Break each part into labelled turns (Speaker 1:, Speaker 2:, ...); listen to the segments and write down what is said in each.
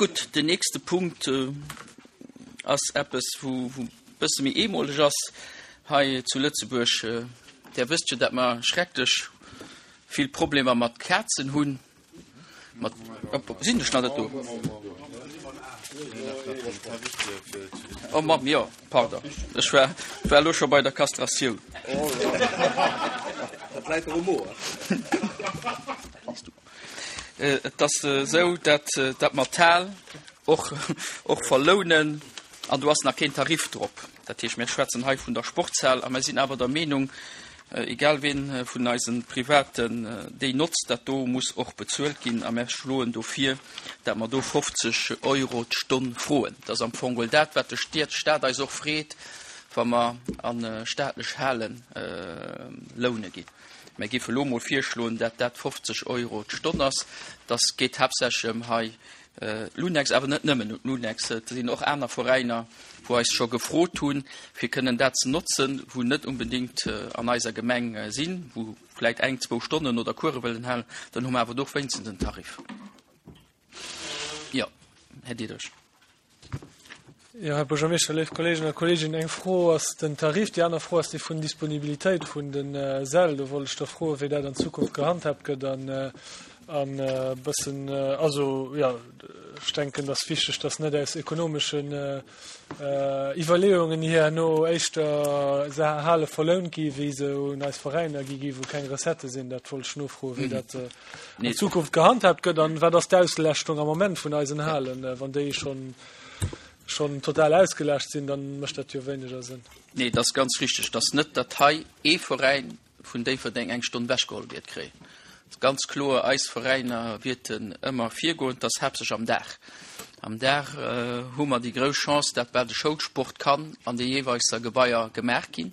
Speaker 1: Gutt, den nächste Punkt ass eppes, wou e bësse méi eemoleg ass hei zu Lëtzebuerg. Där wësst jo, dat mer schrecklech vill Problemer mat Kazen hunn. Mat, sinn ech nach net do? Oh Mamm, jo, pardon. Ech war, war elo scho bei der Kastratioun.
Speaker 2: Dat läit der um Mo.
Speaker 1: Et ass esou, dat dat mer d'Hal och, och verlounen an do ass nach keen Tarif drop. Dat heescht, mir schwätzen hei vun der Sportshal a mir sinn awer der Meenung, egal wien vun eise Privaten déi notzt, dat do muss och bezuelt ginn a mir schloen do vir, dat mer do 50 Euro d'Stonn froen. Dat ass am Fong geholl dat, wat de Staat eis och freet, wa mer a staatlech Hale loune ginn. Mir géife elo emol virschloen, dat dat 50 Euro d'Stonn ass. Dass geet haaptsächlech ëm hei L'Unex, awer net nëmmen un d'Lunex, et sinn och aner Veräiner, wou eis scho gefrot hunn, fir kënnen dat ze notzen, wou net unbedéngt an eiser Gemeng sinn, wou vläit eng, zwou Stonnen oder Course wëllen halen, dann hu mer awer do och wéinstens en Tarif. Jo, Här Diderich.
Speaker 3: Jo, Här Buergermeeschter, léif Kolleegen a Kolleeginnen, eng Fro ass den Tarif, déi aner Fro ass déi vun Disponibilitéit vun de Säll. Do wollt ech da froen, wéi dat an Zukunft gehandhaabt gëtt an e bëssen, also jo, ech denken, et ass wichteg, dass net aus ekonomeschen Iwwerleeungen hier herno éischter Hale verlount gi wéi se un eis Veräiner gi gi wou keng Recettë sinn. Dat wollt ech nofroen, wéi dat an Zukunft gehandhaabt gëtt an wat ass d'Auslaaschtung am Moment vun eisen Halen? Wann déi schonn schonn total ausgelascht sinn, dann mécht dat jo wéineger Sënn.
Speaker 1: Nee, dat ass ganz richteg, dass net dat hei ee Veräin vun Déifferdeng eng Stonn wechgeholl wäert kréien. Ganz kloer, eis Veräiner wierten ëmmer virgoen, dass haaptsächlech am Dag. Am Dag hu mer déi grouss Chance, dat bal de Schoulsport kann an de jeeweiser Gebaier gemaach ginn.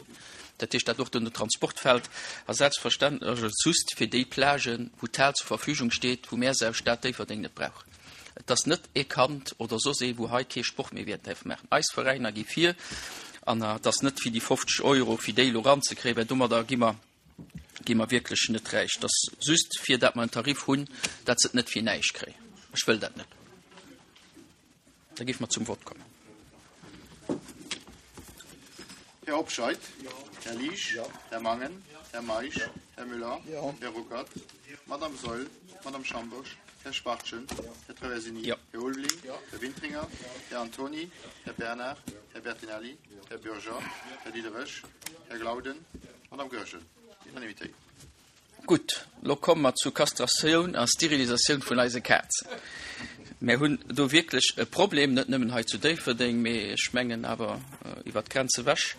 Speaker 1: Dat heescht, dat och den Transport fält. A selbstverständlech ass et just fir déi Plagen, wou d'Hal zur Verfügung steet, wou mär se aus Stad Déifferdeng net brauchen. Et ass net ee Kand oder soss ee, wou hei kee Sport méi wäert däerfe maachen. Eis Veräiner gi vir an et ass net fir déi 50 Euro, fir déi elo eranzekréien, well domadder gi mer, gi mer wierklech net räich. Et ass just fir dat mer en Tarif hunn, dat se et net fir näischt kréien. Ech wëll dat net. Da géife mer zum Vott kommen.
Speaker 4: Här Hobscheit? Här Liesch? Här Mangen? Här Meisch? Här Müller? Här Ruckert? Madame Saeul? Madame Schambosch? Här Schwachtgen? Här Traversini? Här Ulveling? Här Wintringer? Här Antony? Här Bernard? Här Bertinelli? Här Bürger? Här Diderich? Här Glauden? Madame Goergen? Unanimitéit.
Speaker 1: Gutt, lo komme mer zu Kastratioun a Sterilisatioun vun eise Kazen. Mär hunn do wierklech e Problem, net nëmmen hei zu Déifferdeng, mee ech mengen awer iwwer d'Grenz ewech,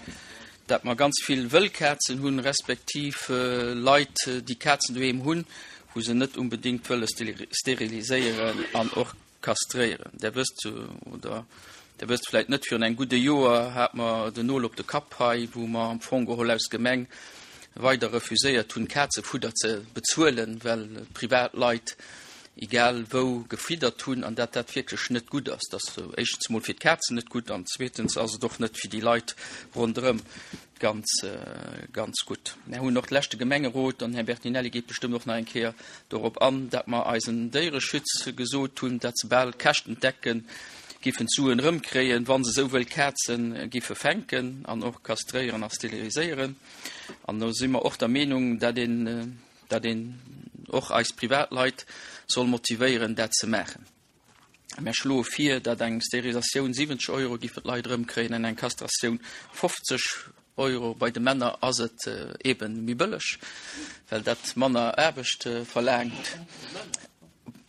Speaker 1: dat mer ganz vill wëll Kazen hunn, respektiv Leit, déi Kazen doheem hunn, wou se net unbedéngt wëlle steriliséieren an och Kastréieren. Där wësst, oder Der wësst vläit net, virun engem gudde Joer hat mer den Nol op de Kapp hei, wou mer am Fong geholl aus Gemeng weider refuséiert hunn, Kazefudder ze bezuelen, well Privatleit egal wou gefiddert hunn an dat dat wierklech net gutt ass. Dat ass éischtens emol fir d'Kazen net gutt an zweetens ass et och net fir déi Leit ronderëm. Ganz, ganz gutt. Mär hunn och de leschte Gemengerot, an den Här Bertinelli geet bestëmmt och nach eng Kéier dorop an, dat mer eisen Déiereschütz gesot hunn, dat se bal käschtendeckend giffen d'Suen erëmkréien, wa se esou wëll Kaze giffe fänken an och kastréieren a steriliséieren. An do si mer och der Meenung, dat een, dat een och eis Privatleit soll motivéieren, dat ze maachen. Mär schloe vir, datt eng Sterilisatioun 70 Euro giffen d'Leit erëmkréien an eng Kastratioun 50 Euro. Bei de Männer ass et eebe méi bëlleg, well dat manner Aarbecht verlaangt.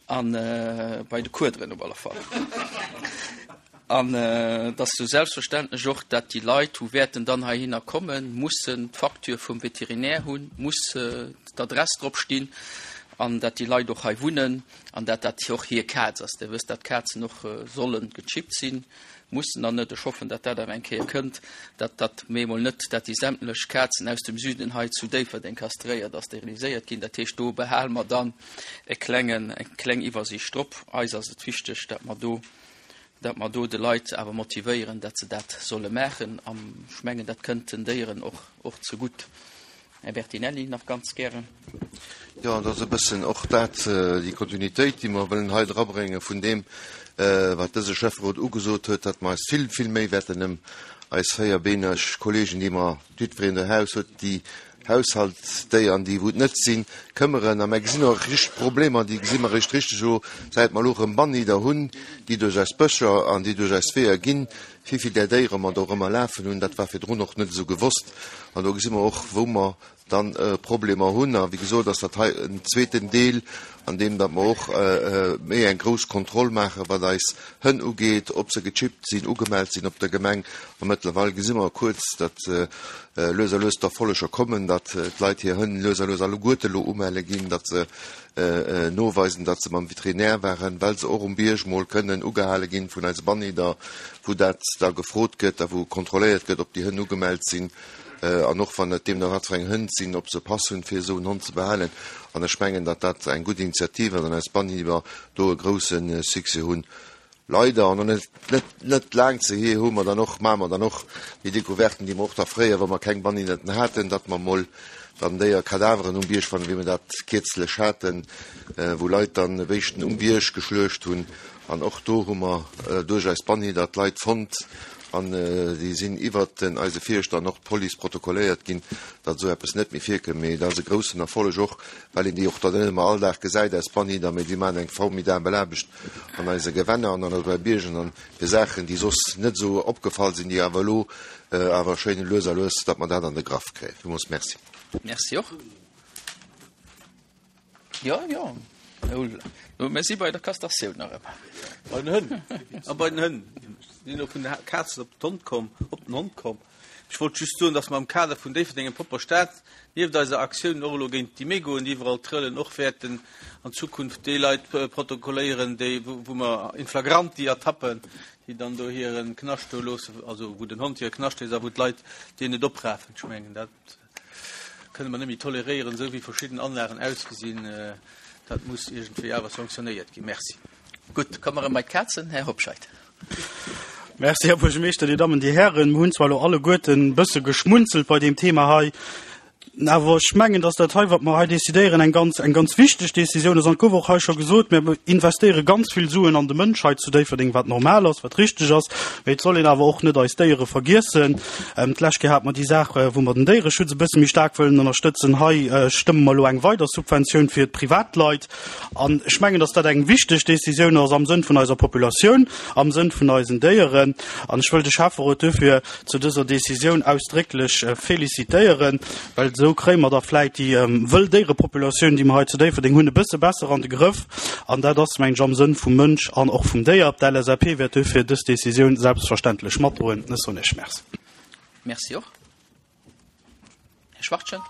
Speaker 1: A bei de Kuederen op alle Fall. An et ass sou selbstverständlech och, datt déi Leit, wou wäerten dann heihinner kommen, mussen d'Facture vum Veterinär hunn, muss d'Adress drop stinn an datt déi Leit och hei wunnen. An dat dat och hir Kaz ass. Dir wësst, dat Kazen och solle gechippt sinn, mussen dann net. Ech hoffen, dat dat awer eng Kéier kënnt, dat dat mee emol net, dat déi sämtlech Kazen aus dem Süden hei zu Déifferdeng kastréiert a steriliséiert ginn. Dat heescht, do behale mer dann e klengen, eng kleng Iwwersiicht drop. Eis ass et wichteg, dat mer do, dat mer do de Leit awer motivéieren, dat se dat solle maachen. An ech mengen, dat kënnt den Déieren och, och zegutt. Här Bertinelli, nach ganz gären.
Speaker 5: Jo, et ass e bëssen och dat, déi Kontinuitéit, déi mer wëllen hei drabrénge vun deem.
Speaker 2: wat dëse Schäfferot ugesot huet, datt mer eis vill, vill méi wäerten ëm eis véierbeeneg Kollegen, déi mer jiddwereen do Haus huet, déi Haushaltsdéieren, déi wou et net sinn, këmmeren. A mer gesinn och richteg Problemer, déi gesi mer eréischt richteg elo, säit mer elo erëm Bannhider hunn, déi duerch eis Bëscher an déi duerch eis Weeër ginn, wéi vill där Déiere mer do erëm erlafen hunn. Dat war virdrun och net esou gewosst. An do gesi mer och, wou mer dann Problemer hunn. A wéi gesot ass dat hei en zweeten Deel, an deem datt mer och méi eng grouss Kontroll maachen, wat eis Hënn ugeet, ob se gechippt sinn, ugemellt sinn op der Gemeng. A mëttlerweil gesi mer kuerz, datt lues a lues d'Erfolleger kommen, datt d'Leit hir Hënn lues a lues alleguerte elo umelle ginn, datt se noweisen, datt se mam Veterinär waren, well se och um Bierg mol kënnen ugehale ginn vun eise Bannhider, wou dat da gefrot gëtt a wou kontrolléiert gëtt, ob déi Hënn ugemellt sinn. An och wann et deemno wat fir eng Hënn sinn, ob se Pass hunn, fir esou en Hond ze behalen. An ech mengen, datt dat eng gutt Initiativ ass an eis Bannhiber do e grouse Succès hunn. Leider, an net, net, net laang ze hier, hu mer dann och, maache mer dann och déi Découverten, déi mer och da fréier, wa mer keng Bannhiberten haten, datt mer emol dann Déierkadaveren um Bierg fannen, wéi mer dat kierzlech haten, wou Leit dann Béischten um Bierg geschluecht hunn. An och do hu mer duerch eis Bannhider d'Leit fonnt an déi sinn iwwert den eise Fierschter an och d'Police protokolléiert ginn, datt esou eppes net méi virkënnt. Mee dat ass e groussen Erfolleg och, well een déi och dann net ëmmer all Dag gesäit, eis Bannhider, mee déi maachen eng formidabel Aarbecht an eise Gewänner an an eise Biergen an fir Saachen, déi soss net esou opgefall sinn, déi awer elo awer schéin lues a lues, datt mer dat an de Graff kréien. Villmools Merci.
Speaker 1: Merci och. Jo, jo. Mir si bei der Kastratioun nach ëmmer.
Speaker 5: Bei den Hënn. A bei den Hënn. Sinn elo vun de Kazen op d'Hond komm, op den Hond komm. Ech wollt just soen, dass mer am Kader vun Déifferdeng eng propper Stad, nieft eiser Aktioun och elo géint déi Mégoen, déi iwwerall trëllen, och wäerten an Zukunft déi Leit protokolléieren, déi, wou mer in flagranti ertappen, déi dann do hire Knascht do loossen, also wou den Hond hire Knascht léisst a wou d'Leit deen net oprafen. Ech mengen, dat. Kënne mer net méi toleréieren, esou wéi verschidden Anlagen ausgesinn. Dat muss iergendwéi awer sanktionéiert ginn. Merci.
Speaker 1: Gutt, komme mer erëm bei d'Kazen. Här Hobscheit.
Speaker 6: Merci, Här Buergermeeschter, Dir Dammen, Dir Hären. Mir hunn zwar elo alleguerten e bësse geschmunzelt bei deem Thema hei, awer ech mengen, dass dat hei, wat mer hei decidéieren, eng ganz, eng ganz wichteg Décisioun ass. An et gouf och hei scho gesot, mir investéiere ganz vill Suen an de Mënsch hei zu Déifferdeng, wat normal ass, wat richteg ass, mee et soll een awer och net eis Déiere vergiessen. D'lescht Kéier hate mer déi Saach, wou mer den Déiereschutz e bësse méi staark wëllen ënnerstëtzen. Hei stëmme mer elo eng weider Subventioun fir d'Privatleit. An ech mengen, dass dat eng wichteg Décisioun ass am Sënn vun eiser Populatioun, am Sënn vun eisen Déieren. An ech wëll de Schäfferot duerfir zu dëser Décisioun ausdrécklech félicitéieren, well esou kréie mer da vläit déi wëll Déierepopulatioun, déi mer hei zu Déifferdeng hunn, e bësse besser an de Grëff. An dat ass, mengen ech, am Sënn vum Mënsch an och vum Déier. D'LSAP wäert duerfir dës Décisioun selbstverständlech matdroen. Ech soen Iech Merci.
Speaker 1: Merci och. Här Schwachtgen.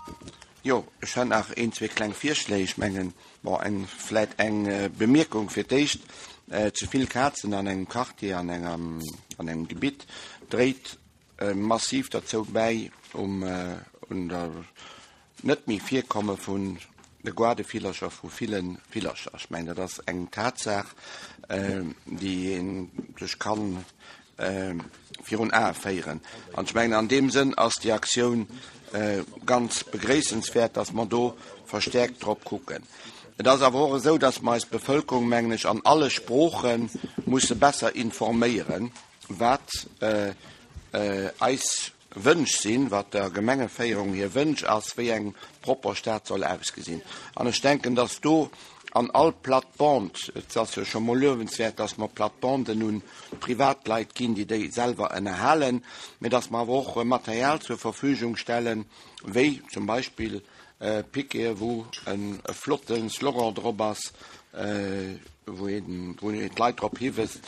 Speaker 7: Jo, ech hätt nach een, zwee kleng Virschléi. Ech mengen, bon, eng, vläit eng Bemierkung fir d'éischt. Ze vill Kazen an engem Quartier, an engem, an engem Gebitt dréit massiv derzou bäi, um, un der net méi Virkomme vun de Goardevillercher, vu ville Villercher. Ech mengen, dat ass eng Tatsaach, déi ee sech ka virun Ae féieren. An ech mengen, an deem Sënn ass déi Aktioun ganz begréissenswäert, dass mer do verstäerkt drop kucken. Et ass awer och esou, dass mer eis Bevëlkerung, mengen ech, an alle Sprooche musse besser informéieren, wat eis Wënsch sinn, wat der Gemengeféierung hir Wënsch ass, wéi eng propper Stad soll ausgesinn. An ech denken, dass do an all Plate-bande, et ass jo scho mol luewenswäert, dass mer Plate-banden un Privatleit ginn, déi déi selwer ënnerhalen, mä dass mer awer och Material zur Verfügung stellen, wéi zum Beispill Piqueten, wou e flotte Slogan drop ass, wou een d'Leit drop hiweist,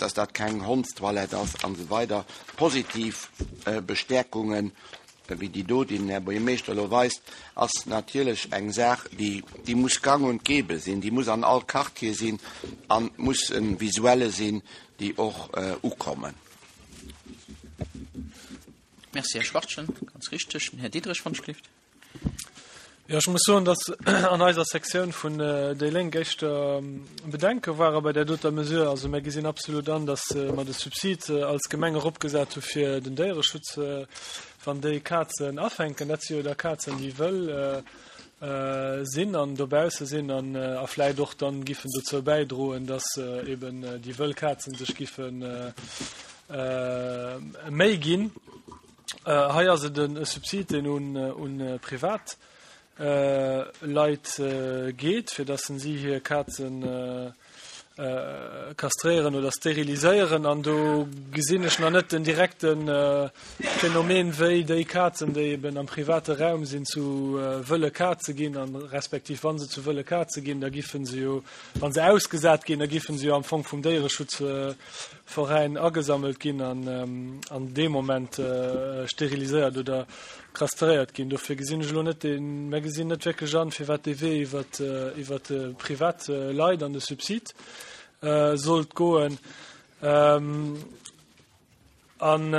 Speaker 7: dass dat keng Hondstoilette ass an esou weider. Positiv Bestäerkungen, wéi déi do, déi den Här Buergermeeschter elo weist, ass natierlech eng Saach, déi muss gang und gäbe sinn, déi muss an all Quartier sinn a muss e Visuelle sinn, déi och ukommen.
Speaker 1: Merci, Här Schwachtgen. Ganz richteg. Den Här Diderich, wann ech gelift.
Speaker 3: Jo, ech muss soen, dass an eiser Sektioun vun déi Lénk éischter Bedenke ware bei där doter Mesure. Also mir gesinn absolut an, dass mer de Subsid als Gemeng eropgesat hu fir den Déiereschutz, wann déi Kazen afänken. Dat si jo da Kazen, déi wëll. Sinn an dobausse sinn an a vläit och dann giffen dozou bäidroen, dass eben déi wëll Kazen sech giffe méi ginn. Hei ass et e Subsid, deen un un privat Leit geet, fir dass si hir Kazen kastréieren oder steriliséieren an do gesinn ech nach net den direkte Phänomen, wéi déi Kazen, déi eben am private Raum sinn, zu wëlle Kaze ginn an respektiv wa se zu wëlle Kaze ginn, da giffen se jo, wa se ausgesat ginn, da giffen se jo am Fong vum Déiereschutzveräin agesammelt ginn an an deem Moment steriliséiert oder Kastréiert ginn. Dofir gesinn ech elo net deen, mär gesinn net wierklech an, firwat dee Wee iwwert, iwwert de privat Leit an de Subsid sollt goen. An, an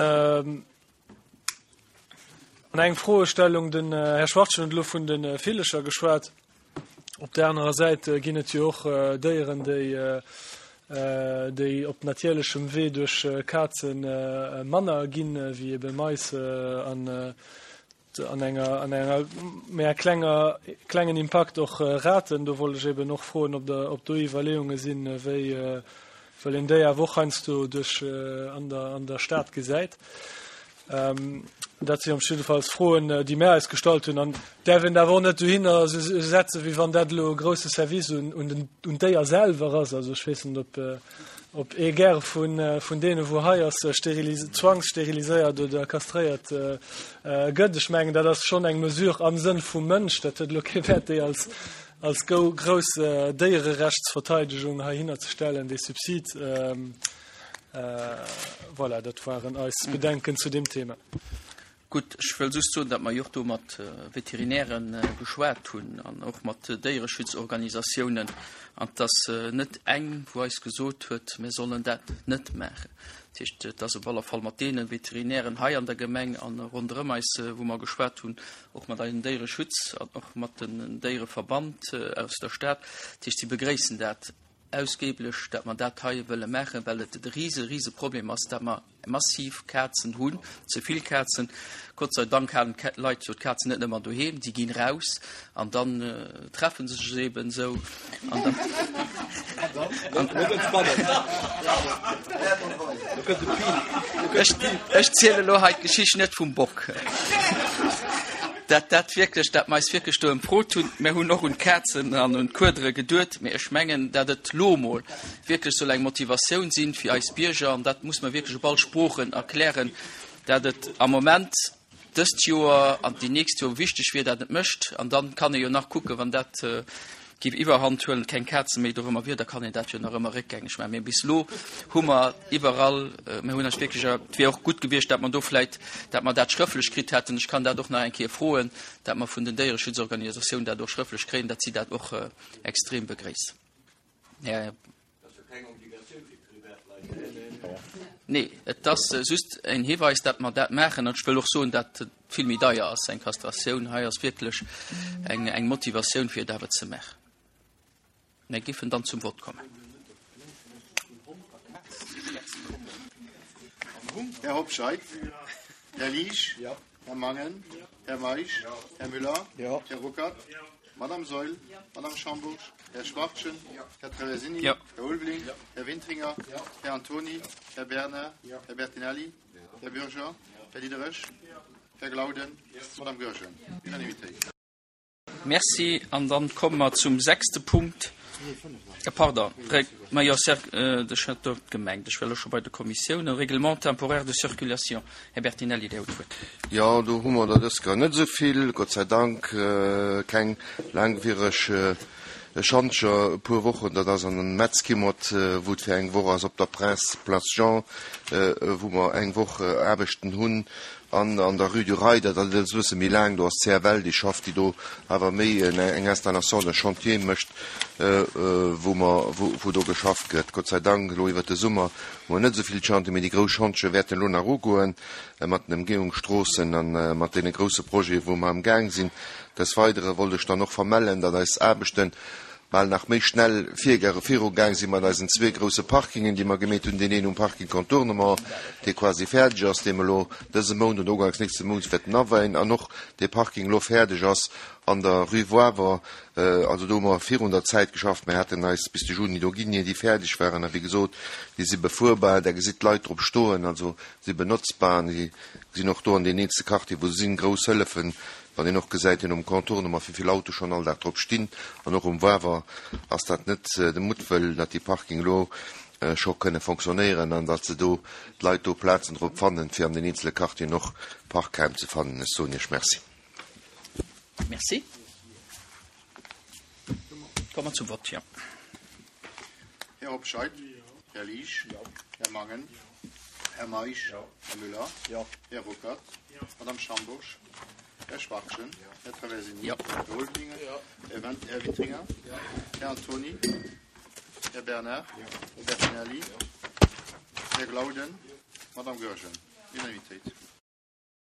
Speaker 3: eng Froestellung, den Här Schwachtgen huet elo vun de Villecher geschwat. Op där anerer Säit ginn et jo och Déieren, déi, déi op natierlechem Wee duerch Kaze manner ginn, wéi ebe Mais an an enger an enger méi klenger klengen Impakt och Raten. Do wollt ech eben och froen, ob der ob do Iwwerleeunge sinn, wéi well een déi awer och heiansdo duerch an der an der Stad gesäit. Dat si jiddefalls Froen, déi mär eis gestallt hunn. An däerf een awer och net dohinner setzen, wéi wann dat elo e grousse Service un, un den, un d'Déier selwer ass. Also ech weess net, ob, ob ee gäre vun, vun deene wou hei ass, sterilis-, zwangssteriliséiert oder kastréiert gëtt. Ech mengen, dat ass schonn eng Mesure am Sënn vum Mënsch. Dat huet elo kee Wäert, déi als, als grouss Déiererechtsverteidegung heihinner ze stellen, dee Subsid. Voilà, dat waren eis Bedenken zu deem Thema.
Speaker 1: Gutt, ech wëll just soen, datt mer jo och do mat Veterinäre geschwat hunn an och mat Déiereschutzorganisatiounen an et ass net eng, wou eis gesot huet, mir sollen dat net maachen. Dat heescht, et ass op alle Fall mat deene Veterinären hei an der Gemeng an ronderëm eis, wou mer geschwat hunn, och mat eisem Déiereschutz an och mat den Déiereverband aus der Stad. Dat heescht, si begréissen dat. Ausgeblech, dat mer dat hei wëlle maachen, well et e rise, rise Problem ass, dat mer massiv Kazen hunn, ze vill Kazen. Gott sei Dank halen d'Leit jo d'Kazen net ëmmer doheem, déi ginn raus an dann treffe se sech eben esou an dann. Ech ziele elo hei d'Geschicht net vum Bock. Dat dat wierklech, dat mer eis wierklech do ëmfrot hunn. Mer hunn och un d'Kazen an un d'Kuedere geduet, mee ech mengen, dat et lo emol wierklech soll eng Motivatioun sinn fir eis Bierger, an dat muss mer wierklech op all Sproochen erklären, dat et am Moment dëst Joer an déi nächst Joer wichteg wier, dat et mécht. An dann kann ee jo nach kucken, wann dat géif Iwwerhand huelen, keng Kaze méi dorëmmer wier, da kann een dat jo nach ëmmer réckgängeg maachen. Mee bis elo hu mer iwwerall, mir hunn eis wierklech, et wier och gutt gewiescht, dat mer do vläicht, dat mer dat schrëfflech kritt hätten, ech kann dat och nach eng Kéier froen, dat mer vun den Déiereschutzorganisatiounen dat och schrëfflech kréien, dat si dat och extrem begréissen. Här. Nee, et ass just en Hiweis, dat mer dat maachen. An ech wëll och soen, dat et vill méi deier ass, eng Kastratioun. Hei ass wierklech eng, eng Motivatioun, fir et awer ze maachen. Mir giffen dann zum Vott kommen.
Speaker 4: Här Hobscheit? Här Liesch? Här Mangen? Här Meisch? Här Müller? Här Ruckert? Madame Saeul? Madame Schambourg? Här Schwachtgen? Här Traversini? Här Ulveling? Här Wintringer? Här Antony? Här Bernard? Här Bertinelli? Här Bürger? Här Diderich? Här Glauden? Madame Goergen? Unanimitéit.
Speaker 1: Merci. An dann komme mer zum sechste Punkt. Pardon, ma jo, ech hat do gemengt, ech wär elo scho bei de Kommissiounen. Règlement temporaire de circulation. Här Bertinelli, Dir hutt d'Wuert.
Speaker 2: Jo, do hu mer der dës Kéier net esou vill, Gott sei Dank, keng laangwiereg Schantjer, e puer Wochen, dat ass an Metzkimmert, wou et fir eng Woch ass, op der Prince Place Jean, wou mer eng Woch Aarbechten hunn, An an der Rue du Rail, dat ass e bësse méi laang, do ass d'CFL, déi schafft, déi do awer méi eng Installation de chantier mécht, wou mer, wou do geschafft gëtt. Gott sei Dank, elo iwwert de Summer hu mer net esou vill Chantier, mee déi grouss Chantiere wäerten elo nach ugoen, mat den Emgehungsstroossen a mat deene grousse Projete wou mer amgaang sinn. Des Weidere wollt ech dann och vermellen, datt eis Aarbechten. bal nach méi schnell virugaang si mat eisen zwee grouse Parkingen, déi mer gemeet hunn, deen een um Parking Contournement, dee quasi fäerdeg ass, dee mer elo dëse Mount oder uganks nächste Mounts wäerten aweien, an och dee Parking elo fäerdeg ass an der Rue Woiwer. Also do hu mer virun der Zäit geschafft. Mir haten eis bis de Juni do ginn, ier déi fäerdeg waren. A wéi gesot, déi si befuerbar, Der gesitt d'Leit drop stoen, also si benotzbar an déi sinn och do an deenen eenzele Quartieren, wou se sinn, grouss Hëllefen, wann een och gesäit, deen um Contournement, wéi vill Autoe schonn all Dag drop stinn. An och um Wawer ass dat net de Muttwëll, datt déi Parking elo scho kënne fonctionnéieren an datt se do, d'Leit do Plazen drop fannen, fir an den eenzele Quartieren och Parkraim ze fannen. Ech soen Iech Merci.
Speaker 1: Merci. Komme mer zum Vott, jo.
Speaker 4: Här Hobscheit. Här Liesch. Här Mangen. Här Meisch. Här Müller. Här Ruckert. Madame Schambourg. Här Schwachtgen. Här Traversini. Här Ulveling. Här Went, Här Witringer. Här Antony. Här Bernard. Här Bertinelli. Här Glauden. Madame Goergen. Unanimitéit.